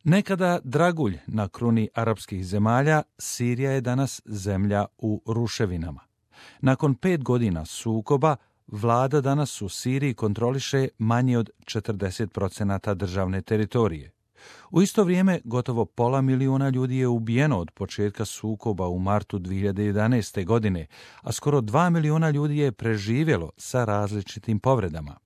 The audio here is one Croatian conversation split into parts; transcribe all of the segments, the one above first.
Nekada dragulj na kruni arapskih zemalja, Sirija je danas zemlja u ruševinama. Nakon 5 godina sukoba, vlada danas u Siriji kontroliše manje od 40% državne teritorije. U isto vrijeme, gotovo 500.000 ljudi je ubijeno od početka sukoba u martu 2011. godine, a skoro 2 milijuna ljudi je preživjelo sa različitim povredama.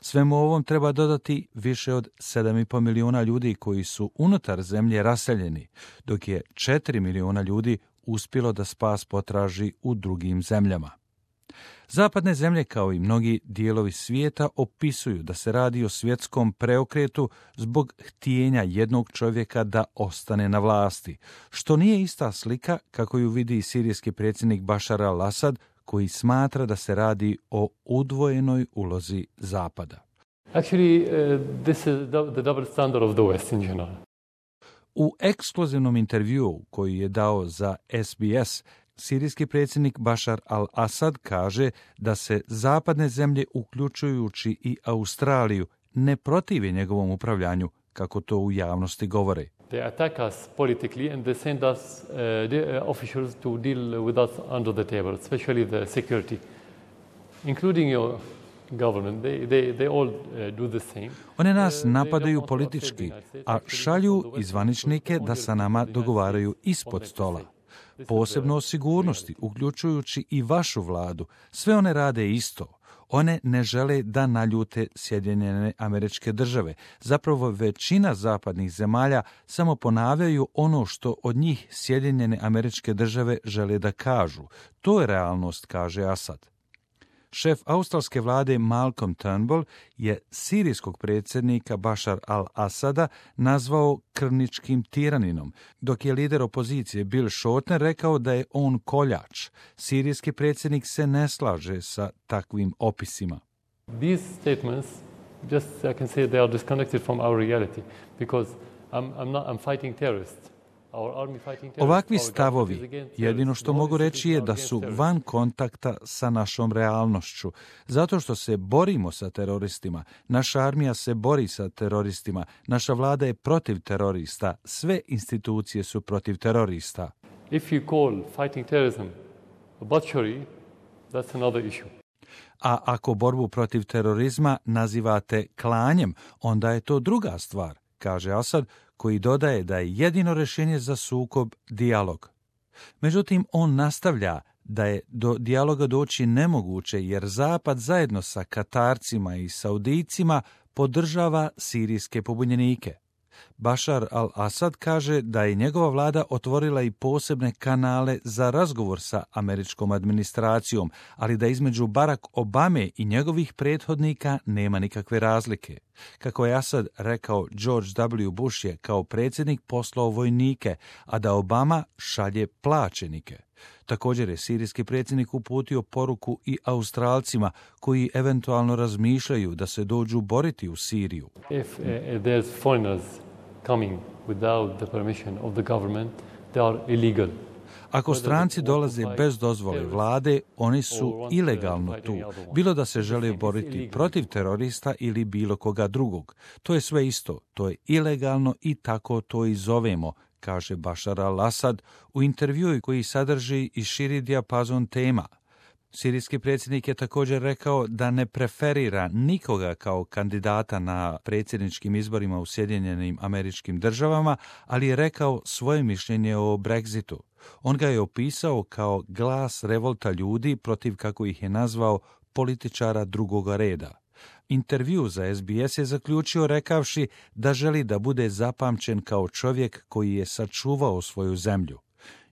Svemu ovom treba dodati više od 7,5 milijuna ljudi koji su unutar zemlje raseljeni, dok je 4 milijuna ljudi uspjelo da spas potraži u drugim zemljama. Zapadne zemlje, kao i mnogi dijelovi svijeta, opisuju da se radi o svjetskom preokretu zbog htjenja jednog čovjeka da ostane na vlasti, što nije ista slika kako ju vidi sirijski predsjednik Bashar al-Assad, koji smatra da se radi o udvojenoj ulozi Zapada. Actually, this is the double standard of the West in general. U ekskluzivnom intervjuu koji je dao za SBS, sirijski predsjednik Bashar al-Assad kaže da se zapadne zemlje, uključujući i Australiju, ne protive njegovom upravljanju, kako to u javnosti govore. They attack us politically and they send us officials to deal with us under the table, especially the security, including your government. They all do the same. One nas napadaju politički, a šalju izvaničnike da sa nama dogovaraju ispod stola. Posebno o sigurnosti, uključujući i vašu vladu. Sve one rade isto. One ne žele da naljute Sjedinjene Američke Države. Zapravo većina zapadnih zemalja samo ponavljaju ono što od njih Sjedinjene Američke Države žele da kažu. To je realnost, kaže Asad. Šef australske vlade Malcolm Turnbull je sirijskog predsjednika Bashar al-Assada nazvao krvničkim tiraninom, dok je lider opozicije Bill Shorten rekao da je on koljač. Sirijski predsjednik se ne slaže sa takvim opisima. These statements, just I can say they are disconnected from our reality, because I'm fighting terrorists. Ovakvi stavovi, jedino što mogu reći je da su van kontakta sa našom realnošću, zato što se borimo sa teroristima, naša armija se bori sa teroristima, naša vlada je protiv terorista, sve institucije su protiv terorista. If you call fighting terrorism a butchery, that's another issue. A ako borbu protiv terorizma nazivate klanjem, onda je to druga stvar, kaže Asad, koji dodaje da je jedino rješenje za sukob dijalog. Međutim, on nastavlja da je do dijaloga doći nemoguće jer Zapad zajedno sa Katarcima i Saudijcima podržava sirijske pobunjenike. Bashar al-Assad kaže da je njegova vlada otvorila i posebne kanale za razgovor sa američkom administracijom, ali da između Barack Obame i njegovih prethodnika nema nikakve razlike. Kako je Assad rekao, George W. Bush je kao predsjednik poslao vojnike, a da Obama šalje plaćenike. Također je sirijski predsjednik uputio poruku i Australcima koji eventualno razmišljaju da se dođu boriti u Siriju. If there's foreigners coming without the permission of the government, they are illegal. Ako stranci dolaze bez dozvole vlade, oni su ilegalno tu, bilo da se žele boriti protiv terorista ili bilo koga drugog. To je sve isto, to je ilegalno i tako to i zovemo, kaže Bashar al-Assad u intervjuu koji sadrži i širi dijapazon tema. Sirijski predsjednik je također rekao da ne preferira nikoga kao kandidata na predsjedničkim izborima u Sjedinjenim Američkim Državama, ali je rekao svoje mišljenje o Brexitu. On ga je opisao kao glas revolta ljudi protiv, kako ih je nazvao, političara drugoga reda. Intervju za SBS je zaključio rekavši da želi da bude zapamćen kao čovjek koji je sačuvao svoju zemlju.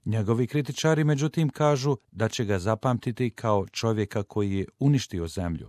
Njegovi kritičari, međutim, kažu da će ga zapamtiti kao čovjeka koji je uništio zemlju.